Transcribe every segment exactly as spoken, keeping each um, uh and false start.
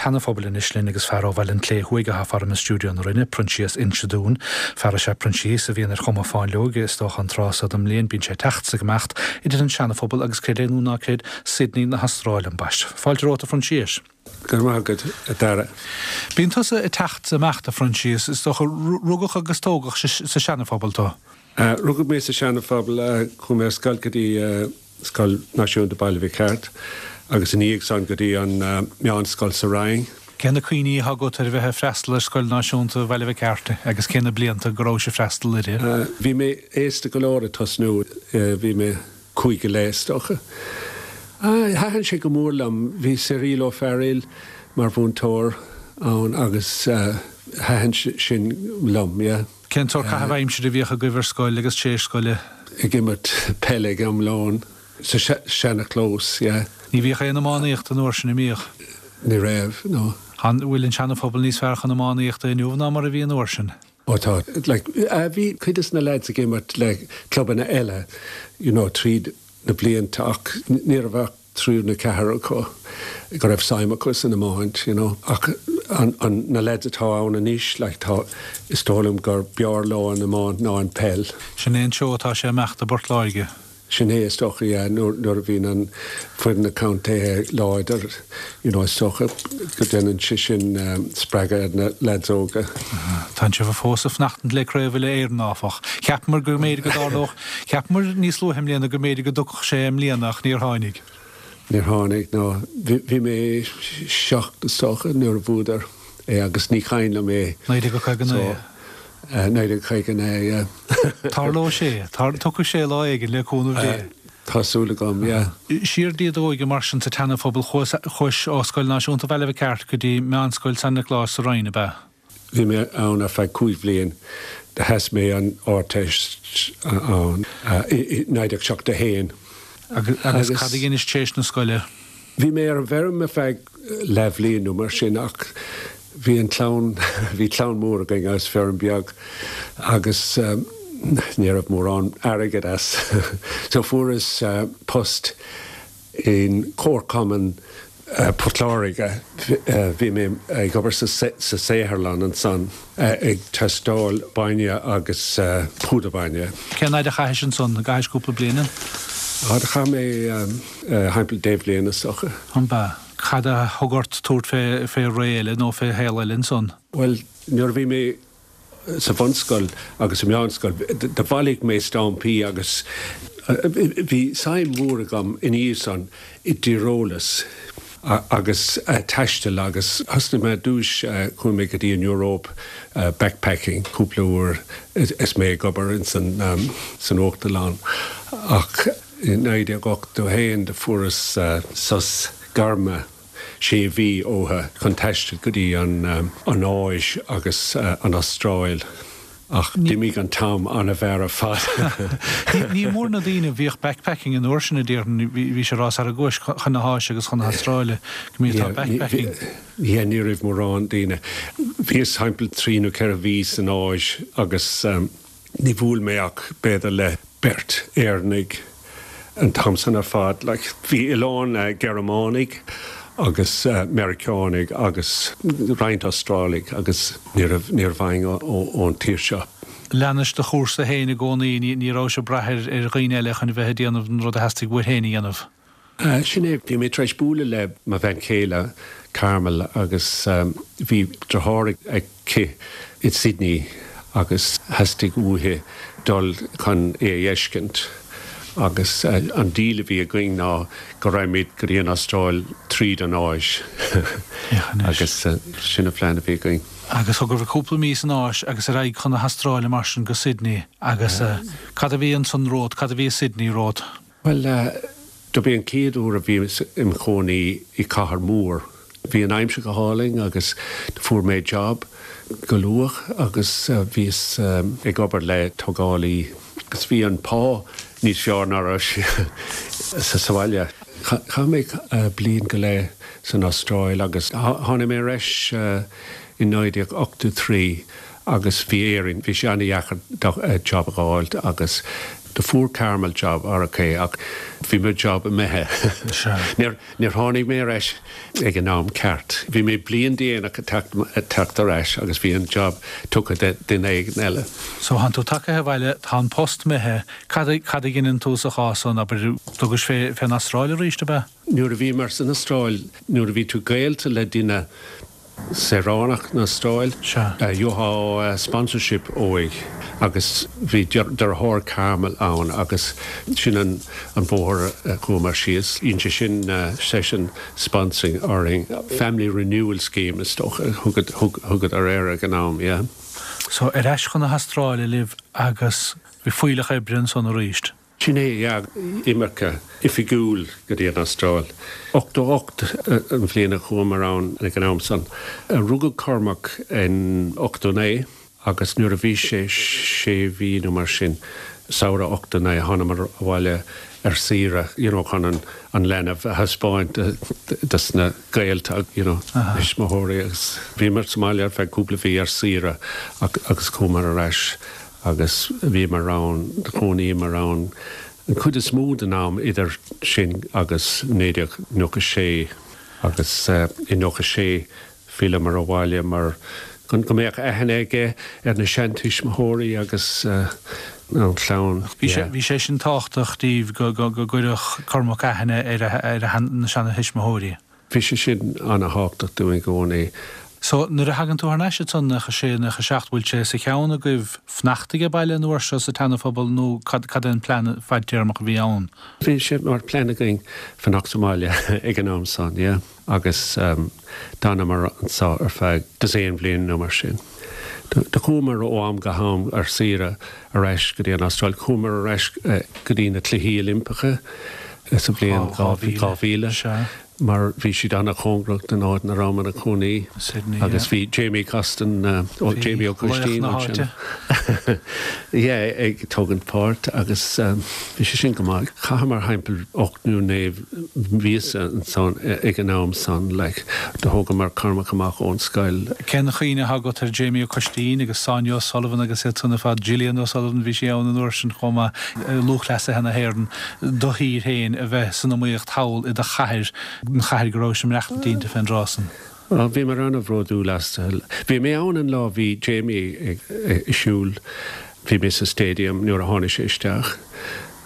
tSeana-Phobail anois linn agus fear ó Bhaile an tSléibhe Thuaidh atá faram i stiúideo na Rinne, Proinsias Inse Dúin. Fear is ea Proinsias a bhíonn ar chuma fáinleog is dócha an tráth seo den mbliain bíonn sé ag teacht is ag imeacht idir an Seana-Phobal agus creid é nó ná creid Sydney na hAstráile ambaist. Fáilte romhat a Phroinsiais. Go maith agat a Dara. Bíonn tusa ag teacht is ag imeacht a Phroinsias is dócha rugadh agus tógadh sa Seana-Phobal tú. Uh, rugadh mé sa Seana-Phobal uh, chuaigh mé ar scoil go dtí uh, Scoil Náisiúnta Baile Mhic Airt agus ina dhiaidh san go dtí an uh, meánscoil sa Rinn. Cé na cuimhní atá agat ar bheith ag freastal ar Scoil Náisiúnta Bhaile Mhic Airt agus cé na blianta go raibh ag freastal uirthi. Uh, bhí mé aosta go leor ag tosnú uh, bhí mé cúig go leith is dócha. Uh, Thaitin sé go mór liom bhí Cyril Ó Fearghail mar mhúinteoir ann agus uh, thaitin sin liom, yeah. Cén sórt caitheamh aimsire a bhíodh agaibh ar scoil agus tar éis scoile? Ag imirt peile ag am lóin sa seanachlós, yeah. Ní bhíodh aon iománaíocht an uair sin an mbíodh. Ní raibh no. An bhfuil an Seana-Phobal níos fearr chun iománaíochta inniu ná mar a bhí an uair sin. Ó tá like, uh, bhí cuid de na lads ag imirt le clubanna eile you know, tríd na blianta ach ní raibh ach triúr nó ceathrar acu go raibh suim acu san iomáint, you know. ach an, an, na lads atá ann anois like, tá is dóigh liom gur b'fhearr leo an iomáint ná an peil. Sin é an seó atá sé amach i bPort Láirge. Sin é is dócha nuair nuair a bhíonn an foireann na contae láidir you know, is dócha go ndéanann sé sin um, spreagadh na lads óga. Tá sibh fós ag fanacht le craobh uile-Éireann áfach. Cheapamar go mb'fhéidir go dtarlódh, cheapamar níos luaithe i mbliana go mb'fhéidir go dtiocfadh sé i mbliana ach níor tháinig. Níor tháinig ná bhí mé seacht is dócha nuair a bhuadar é agus ní cuimhin liom é. Naoi déag caoga naoi. Naoi déag caoga naoi. Tarlóidh sé, tiocfaidh sé lá éigin le cúnamh Dé. Tá súil agam, yeah. Siar i d'óige mar sin sa tSeana-Phobal chuais ó Scoil Náisiúnta Bhaile Mhic Airt go dtí Meánscoil San Nioclás sa Rinn ab ea. Bhí mé ann ar feadh cúig bhliain de sheas mé an Ardteist ann naoi déag seachtó a haon. Agus cad a dhéanais tar éis na scoile? Bhí mé ar an bhfeirm ar feadh leathbhliain nó mar sin ach bhí an clann bhí clann mór againn agus feirm beag agus um, ní raibh mórán airgead as. so fuaireas uh, post in Comharchumann uh, Port Láirge uh, bhí mé ag obair sa sa saotharlann ansan uh, ag tástáil bainne agus uh, púdar bainne. Cén fhad a chaithis ansan chaithis cúpla bliain? Á chaith mé um, uh, timpeall deich mbliana is dócha. An ba cad a thug ort tabhairt fé fé ré eile nó fé shaol eile ansan? Well, nuair bhí mé sa bhunscoil agus sa meánscoil, do bhailigh mé stampaí agus bhí suim mhór agam in san i dtíreolas agus taisteal agus thosnaigh mé dtús chuaigh mé go dtí an Eoraip backpacking cúpla uair is mé ag obair in san um, san uachtarlann ach i naoi déag ochtó haon de fuaireas uh, sos gairme sé mhí ótha chun taisteal go dtí an um, an Áis agus uh, an Astráil ach d'imigh an t-am an-mhór ar fad. Ní mór na daoine bhíoh backpacking an uair sin a déarfainn bhí sé rás ar a gcuis chun na hÁise agus chun na hAstráile go mí backpacking. Yeah, ní raibh mórán daoine. Bhíos timpeall trí nó ceithre mhí san Áis agus um, ní bhuail mé ach b'fhéidir le beirt Éireannaigh an t-am san ar fad, like, bhí a lán uh, Gearmánaigh agus uh, Meiriceánaigh agus roinnt Astrálaigh agus ní raibh éinne ón tír seo. Leanais do chúrsa féin i gcónaí ní raibh sé brath ar dhaoine eile chun bheith déanamh an rud a theastaigh uait féin a dhéanamh. Uh, sin é bhí mé tar éis bualadh le mo bhean chéile Carmel agus um, bhí deartháir aici i Sydney agus theastaigh uaithi dul chun é a fheiscint. agus uh, an deal a bhí againn ná go raghaimid go dtí an Astráil tríd an Áis agus uh, sin an plean a bhí againn. Agus thug cúpla mí san Áis agus ar aghaidh chun na hAstráile mar sin go Sydney agus uh, cad a bhí ansan romhat, cad a bhí Sydney romhat. Well uh, do b'é an chéad uair a bhí im chónaí i cathair mór. Bhí an aimsir go hálainn agus fuair mé job go luath agus uh, bhíos um, ag obair le tógálaí agus bhí an pá níos fearr ná sa sa bhaile. Chaith mé uh, bliain go leith san Astráil agus tháinig mé ar ais uh, in naoi déag ochtó trí agus bhí Éirinn, bhí sé an-deacair job a fháil agus Do fuair Carmel job R K ach bhí mo job imithe. Níor tháinig mé ar ais ag an am ceart. Bhí mé bliain déanach teacht ar ais agus bhí an job tugtha do dhuine éigin eile. So tá tú tagtha abhaile, tá an post imithe, cad a dhéanann tú sa chás san, abair, thugais fé fén Astráil arís ab ea? Nuair a bhí mar san Astráil, nuair a bhí tú gaolta le duine saoránach na hAstráile, gheofá sponsorship uaidh agus bhí deartháir Carmel ann agus sin an an bóthar chuamar síos. Dhein sé sin seisean sponsoring orainn, Family Renewal Scheme is dócha thugadar air ag an am, yeah. So ar ais chun na hAstráile libh agus bhí fuílleach oibre ansan arís. Sin é, yeah, imirce oifigiúil go dtí an Astráil. Ochtó ocht an bhliain a chuamar ann ag an am san. Rugadh Cormac in ochtó naoi agus nuair a bhí sé sé mhí nó mar sin, samhradh ochtó naoi, thánamar abhaile ar saoire you know, chun an, an leanbh a thaispeáint dos na gaolta, you know, tuismitheoirí agus bhíomar sa mbaile ar feadh cúpla mhí ar saoire agus chuamar ar ais agus bhíomar ann, chónaíomar ann an chuid is mó den am idir sin agus naoi déag nócha sé agus uh, i nócha sé d'fhilleamar abhaile mar go go mbeadh aithne aige ar na seantuismitheoirí agus uh, an chlann. Bhí sé sin tábhachtach daoibh go go go gcuirfeadh Cormac aithne ar ar na seantuismitheoirí. Bhí sé sin an-tábhachtach dúinn i gcónaí. So nuair a thagann tú thar n-ais ansan nócha sé, nócha seacht, bhfuil sé sa cheann agaibh fanacht ag baile nó seo sa tSeanaphobal nó cad cad an plean fadtéarmach a bhí ann? Bhí sé mar plean againn fanacht sa mbaile ag an am san, yeah. Agus um, d'fhanamar anseo ar feadh dosaen bhliain nó mar sin. Do chuamar ó am go ham ar saoire ar ais go dtí an Astráil, chuamar ar ais uh, go dtí na Cluichí Oilimpeacha sa bhliain dhá mhíle. Mar bhí siad an-chóngarach don áit ina rabhamar ina gcónaí agus bhí Jamie Costin, uh, ó Jamie Ó Coistín, yeah, ag tógaint páirt agus um, bhí sé sin go maith. Chaitheamar timpeall ocht nó naoi míosa ansan ag an am san, like, do thógamar Cormac amach ón scoil. Cén chuimhne agat ar Jamie Ó Coistín agus Sonia O'Sullivan agus iad san ar fad, Gillian O'Sullivan, bhí sí ann an uair sin chomh maith, lúthchleasaithe na hÉireann, do thír féin a bheith san iomaíocht thall i do chathair, an chathair go raibh sé maireachtaint inti fén dtráth san. Bhí mar an-bhródúil as. Bhí mé ann an lá bhí Jamie ag siúl, bhí mé sa stadium nuair a tháinig sé isteach.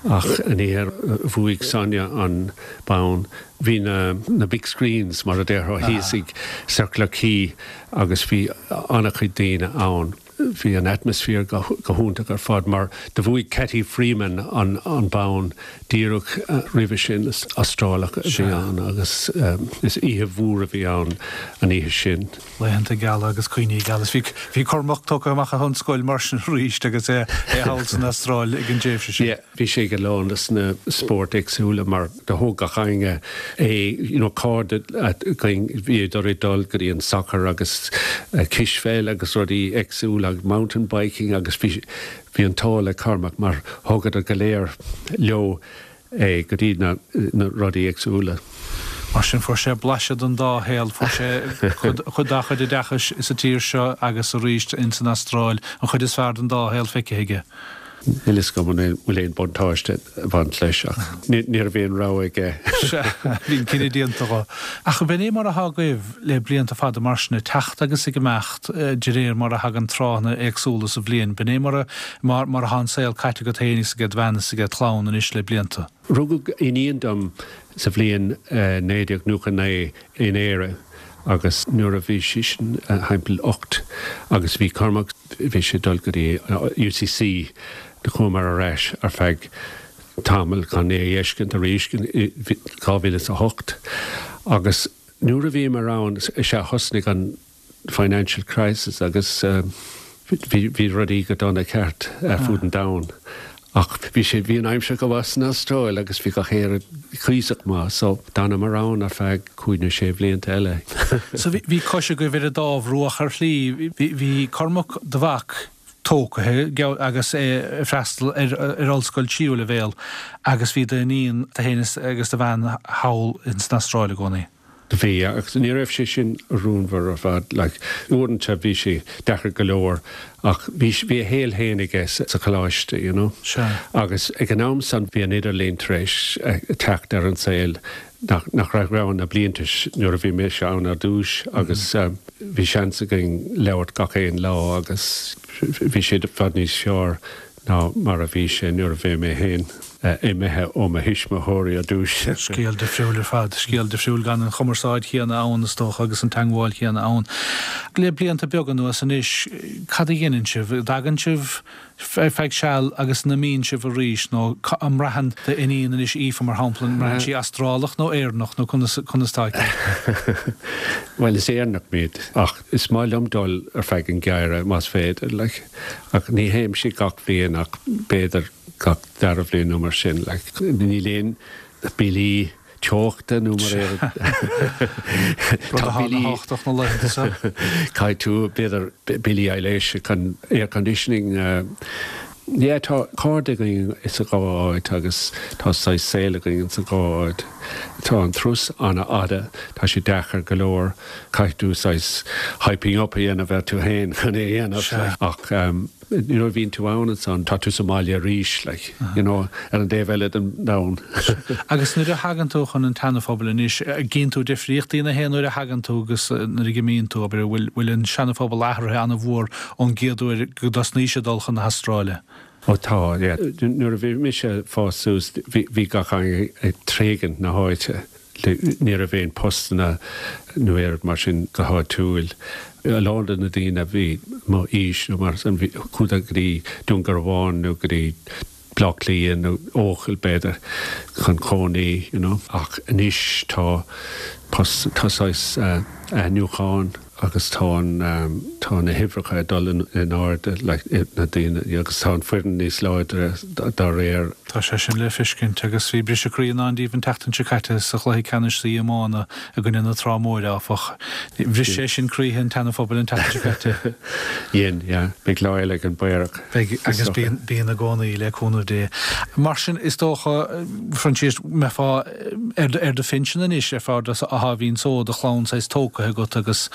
Ach an oíche bhuaigh Sonia an bonn, bhí na, na big screens mar a déarfá thíos ag Circular Quay agus bhí an-chuid daoine ann. Bhí an atmaisféar go, go hiontach ar fad mar do bhuaigh Cathy Freeman an, an bonn díreach uh, roimhe sin, Astrálach a bhí ann agus um, is oíche mhór a bhí ann an oíche sin. Laethanta geala agus cuimhní geala. Bhí bhí Cormac tugtha amach ón scoil mar sin arís agus é é thall san Astráil ag an dtréimhse sin. Yeah, bhí sé go lán leis na spóirt éagsúla mar do thóg gach éinne é, you know, cairde bhíodar ag dul go dtí an soccer agus uh, cispheil agus rudaí éagsúla agus mountain biking agus bhí bhí an t-ádh le Cormac mar thugadar go léir leo é go dtí na, na rudaí éagsúla. Mar sin fuair sé blaiseadh den dá shaol, fuair sé chuid dá chuid oideachais sa tír seo agus arís in san Astráil, an chuid is fearr den dá shaol feicthe aige. Níl fhios agam an bhfuil aon buntáiste ag baint leis ach ní raibh aon rogha aige. Bhí an cinneadh déanta dhó. Ach b'in é mar atá agaibh le blianta fada mar sin, ag teacht agus ag imeacht de réir mar a thagann tráthanna éagsúla sa bhliain. B'in é mar mar mar atá an saol caite agat féin is ag do bhean is ag do chlann anois le blianta. Rugadh iníon dom sa bhliain naoi déag nócha naoi in Éire agus nuair a bhí sí sin timpeall ocht agus bhí Cormac, bhí sé dul go dtí U C C, do chuamar ar ais ar feadh tamall chun é a fheiscint arís dhá mhíle a hocht agus nuair a bhíomar ann is ea thosnaigh an financial crisis agus bhí bhí rudaí go dona ceart ar fud an domhain. Ach bhí sé bhí an aimsir go maith san Astráil agus bhí gach rud cuíosach maith, so d'fhanamar ann ar feadh cúig nó sé bhlianta eile. So bhí cois agaibh ar an dá bhruach ar shlí, bhí Cormac do mhac tógtha agus é ag freastal ar ar ollscoil tríú leibhéal agus bhí d'iníon, tú féin agus do bhean thall in san Astráil i gcónaí. Bhí agus ní raibh sé sin rúnmhar ar fad like, uaireanta bhí sé deacair go leor ach bhí bhí a shaol féin aige sa choláiste you know. Sure. Agus ag an am san bhí an idirlíon tar éis teacht ar an saol nach nach raibh ann na blianta nuair a bhí mise ann ar dtús agus mm -hmm. um, bhí seans againn labhairt gach aon lá agus bhí sé i bhfad níos fearr ná mar a bhí sé nuair a bhí mé féin imithe ó mo thuismitheoirí ar dtús. Scéal difriúil ar fad, scéal difriúil gan an chumarsáid chéanna ann is dócha agus an teagmháil chéanna ann. Le blianta beaga anuas anois cad a dhéanann sibh, dtagann sibh ar feadh seal agus an imíonn sibh arís nó an mbraitheann d'iníon anois Aoife mar shampla an mbraitheann sí Astrálach nó Éireannach nó conas conas tá Well is Éireannach muid ach is maith liom dul ar feadh an gheimhridh más féidir like, ach ní théimse gach bliain ach b'fhéidir gach dara bhliain nó mar sin like, níl aon billí teochta nó mar Tá billí na laethanta Caithfidh tú b'fhéidir billí aibhléise chun air conditioning uh, Yeah, tá cairde againn sa dhá áit agus tá saghas saol againn sa dhá áit. Tá an turas an-fhada, tá sé deacair go leor caithfidh tú saghas hyping up a dhéanamh ar tú féin chun é a dhéanamh ach um, you know, bhíonn tú ann ansan tá tú sa mbaile arís like, uh -huh. you know, ar an dtaobh eile den domhan. Agus nuair a thagann tú chun an tSeana-Phobail anois gcíonn tú difríochtaí na haon nuair a thagann tú agus nuair a imíonn tú abair bhfuil bhfuil an Seana-Phobal athraithe an-mhór ón gcéad uair go dtosnaís ag dul chun na hAstráile. Ó tá nuair a bhí mise ag fás suas bhí gach éinne ag tréigean na háite. Ní raibh aon postanna nó aon rud mar sin go háitiúil. A lán de na daoine a bhí mo aois nó mar sin chuadar go dtí Dún Garbhán nó go dtí Bleá Cliath nó Eochaill b'fhéidir chun cónaí you know. Ach anois tá post tá saghas athnuachan agus tá an tá na huimhreacha ag dul in airde like na daoine agus tá an foireann níos láidre dá réir. Tá sé sin le feiscint agus bhí briseadh croí i ndán daoibh an tseachtain seo caite sa chluiche ceannais sa iomána i gcoinne na Trá Móire, áfach. Bhris sé sin croíthe an tSeana-Phobail an tseachtain seo caite. Dhein, yeah. Beidh lá eile ag an bPaorach. Beidh, agus bíonn, bíonn i gcónaí le cúnamh Dé. Mar sin, is dócha, Phroinsias, mbeifeá ar, ar do phinsean anois ar fad a bhíonn so do chlann saghas tógtha agat agus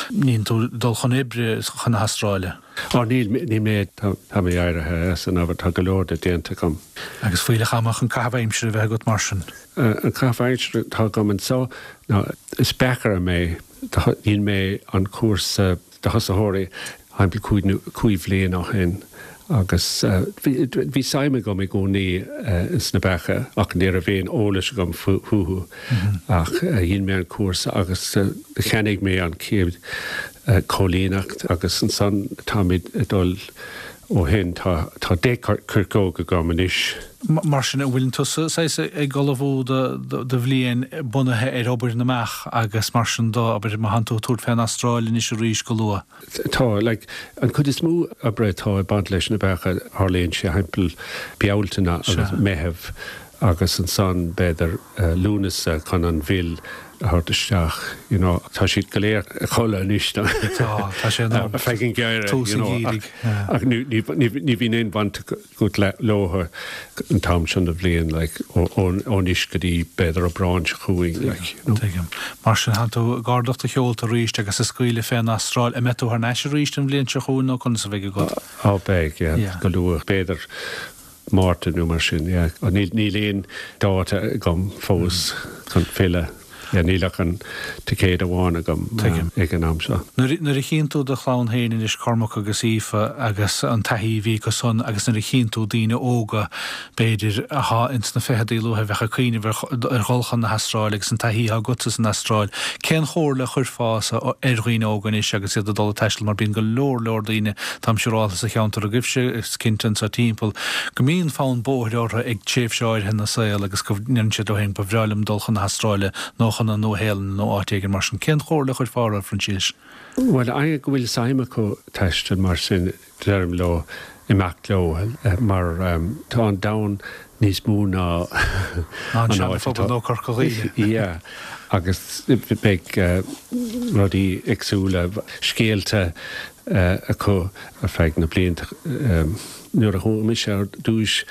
níl tú ag dul chun oibre chun na hAstráile. Ó níl, níl mé, tá, tá mé éirithe as an obair, tá go leor de déanta agam. Agus fuílleach ama chun caitheamh aimsire a bheith agat mar sin. An caitheamh aimsire atá agam anseo ná is beachaire mé, dhein mé an cúrsa do thosaitheoirí thimpeall cúig nó cúig bhliain ó shin agus bhí, bhí suim agam i gcónaí sna beacha ach ní raibh aon eolas agam fúthu ach dhein mé an cúrsa agus cheannaigh mé an chéad cóilíneacht agus ansan táimid ag dul ó shin. Tá tá deich coirceog agam anois. Mar sin, an bhfuil tusa saghas ag ullmhú do do bhliain bunaithe ar obair na mbeach agus mar sin do, abair, má thánn tú ag tabhairt fén Astráil anois arís go luath? Tá, like, an chuid is mó oibre atá ag baint leis na beacha, tharlaíonn sé thimpeall Bealtaine agus Meitheamh agus ansan b'fhéidir Lúnasa chun an mhil a thabhairt isteach, you know, tá siad go léir a chodladh anois tá tá sé in am ar feadh an gheimhridh, tús you an know, gheimhridh, ach yeah. ach ní ní ní ní bhíonn aon bhaint agat le leo an t-am sin de bhliain, like, ó ó ó anois go dtí b'fhéidir Aibreán seo chugainn, like, you know. Tuigim. Mar sin, thánn tú ag ardach do sheolta arís agus ag scaoileadh fén Astráil. An mbeidh tú thar n-ais arís an bhliain seo chugainn nó conas a bheidh agat? Á beidh, yeah, Yeah. go luath, b'fhéidir Márta nó mar sin, yeah. Níl níl aon dáta agam fós chun filleadh. Yeah, níl ach an ticéad amháin agam Tuigim. ag an am seo. Nuair nuair a chíonn tú do chlann féin anois, Cormac agus Aoife, agus an taithí a bhí acu san agus nuair a chíonn tú daoine óga, b'fhéidir, athá ins na ficheadaí luaithe a bheadh ag cuimhneamh ar ar dhul chun na hAstráile agus an taithí athá agatsa san Astráil, cén chomhairle a chuirfeása ar dhaoine óga anois agus iad ag dul ag taisteal mar bíonn go leor leor daoine, táim siúrálta sa cheantar agaibhse, is cinnte anso timpeall, go mbíonn fonn bóthair orthu ag tréimhse áirithe ina saol agus go ndeireann siad leo féin 'ba bhreá liom dul chun na hAstráile nó chun na Nua-Shéalainne nó áit éigin mar sin'. Cén chomhairle a chuirfeá orthu, a Phroinsiais? Bhuel, éinne go bhfuil suim acu taisteal mar sin, deirim leo imeacht leo mar tá an domhan níos mó ná Ná an an áit Seana-Phobal atá. nó Corca Dhuibhne. Yeah, agus beidh rudaí éagsúla, scéalta acu ar feadh na blianta. Nuair a chuaigh mise ar dtús,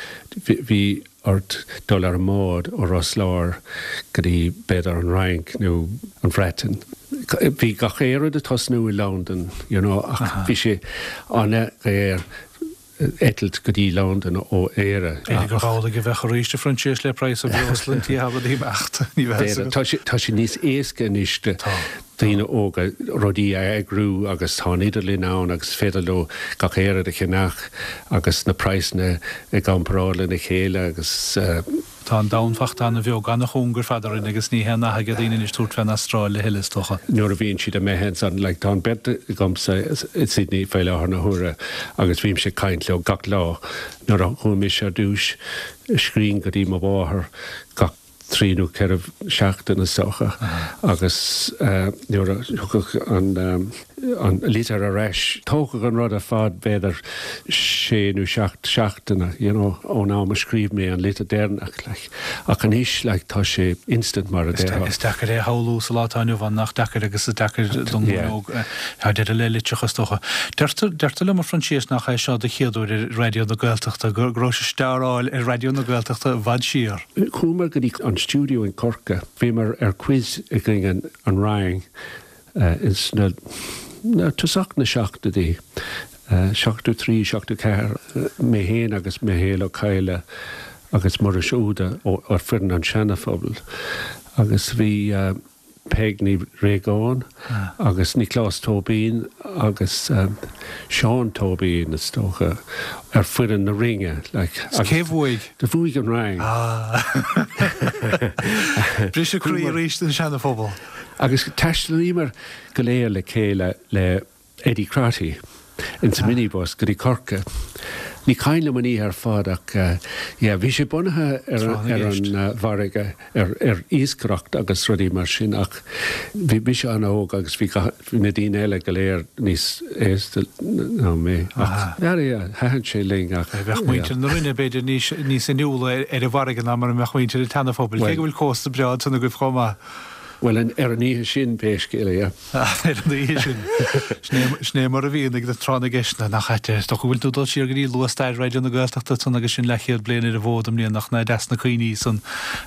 bhí ort dul ar an mbád ó Ros Láir go dtí b'fhéidir an Fhrainc nó an Bhreatain. Bhí gach aon rud ag tosnú i Londain, you know, ach bhí sé an-dhaor eitilt go dtí Londain ó Éire. B'fhéidir gur amhlaidh a bheadh arís, a Phroinsias, le praghas an bhreosla an tí rudaí imeacht. Ní bheadh. Tá sé tá sé níos éasca anois do daoine óga rudaí a eagrú agus tá an idirlíon ann agus is féidir leo gach aon rud a cheannach agus na praghsanna i gcomparáid lena chéile agus. Tá an domhan fachta an-bheag, an-chúng ar fad orainn agus ní haon nath ag daoine anois tabhairt fén Astráil a thuilleadh, is dócha. Nuair a bhíonn siad imithe ansan, like, tá an bheirt agamsa i Sydney faoi láthair na huaire agus bhímse ag caint leo gach lá. Nuair a chuaigh mise ar dtús, scríobhainn go dtí mo mháthair gach trí nó ceithre seachtaine is dócha agus nuair a thiocfadh an an litir ar ais, tógadh an rud ar fad b'fhéidir sé nó seacht seachtaine, you know, ón am a scríobh mé an litir deireanach, like. Ach anois, like, tá sé instant mar a déarfá. Is deacair é a shamhlú sa lá atá inniu ann, nach deacair agus is deacair don nglúin óg tá deireadh le litreacha is dócha. Deirtear, deirtear liom a Phroinsias nach é seo do chéad uair ar Raidió na Gaeltachta, go raibh sé steáráil ar Raidió na Gaeltachta i bhfad siar. Chuamar go dtí an stiúideo in Corcaigh. Bhíomar ar quiz i gcoinne an rang ins na tosach na seachtóidí, seachtó trí, seachtó ceathair, mé féin agus Michéal Ó Cadhla agus Muiris Ó hÚda ó foireann an Seana-Phobail agus bhí Peig Ní Réagáin agus Nioclás Tóibín agus Seán Tóibín, is dócha, ar foireann na Rinne. Like, cé bhuaigh? Do bhuaigh an rang. Briseadh croí arís don Seana-Phobal. Agus thaistealaíomar go léir le chéile le Eddie Crotty insa minibus go dtí Corcaigh. Ní cuimhin liom an oíche ar fad ach yeah bhí sé bunaithe ar ar an bhfarraige, ar ar iascaireacht agus rudaí mar sin ach bhí mise an-óg agus bhí bhí na daoine eile go léir níos aosta ná mé ach yeah yeah thaitin sé linn ach Bheadh muintir na Rinne b'fhéidir níos níos inniúla ar an bhfarraige ná mar a mbeadh muintir an tSeana-Phobail, cé go bhfuil cósta breá ansan agaibh chomh maith. Bhuel, ar an oíche sin, pé scéal é, yeah. Ar an oíche sin. Sin é mar a bhíonn ag tráth na gceisteanna, nach ait é? Is dócha go bhfuil tú ag dul siar go dtí luath-stair Raidió na Gaeltachta ansan agus sin leathchéad bliain ar an bhfód i mbliana, nach ná deas na cuimhní san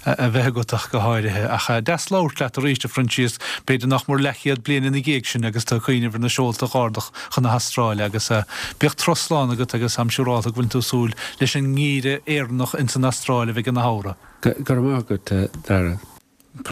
a bheith agat ach go háirithe. Ach deas labhairt leat arís, a Phroinsias, b'fhéidir nach mór leathchéad bliain ina dhiaidh sin agus tú ag cuimhneamh ar na seolta a dh'ardach chun na hAstráile agus bíodh turas slán agat agus táim siúrálta go bhfuil tú ag súil leis an ngeimhreadh Éireannach ins an Astráil a bheidh ina shamhradh. Go raibh maith agat, a Dhara.